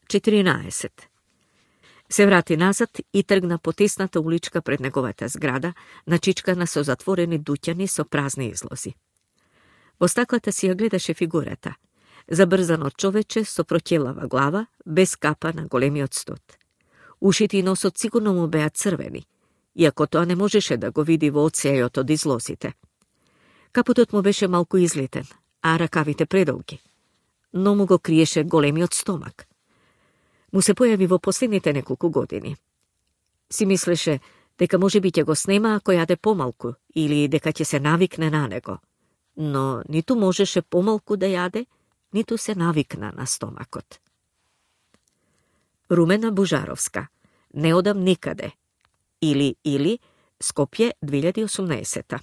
14. Се врати назад и тргна по тесната уличка пред неговата зграда, начичкана со затворени дуќани со празни излози. Во стаклата си ја гледаше фигурата. Забрзано човече со проќелава глава, без капа на големиот стот. Ушите и носот сигурно му беа црвени, иако тоа не можеше да го види во одсејот од излозите. Капутот му беше малку излетен, а ракавите предолги, но му го криеше големиот стомак. Му се појави во последните неколку години. Си мислеше дека можеби ќе го снема ако јаде помалку или дека ќе се навикне на него, но ниту можеше помалку да јаде, ниту се навикна на стомакот. Румена Божаровска. Не одам никаде. Или Скопје 2018.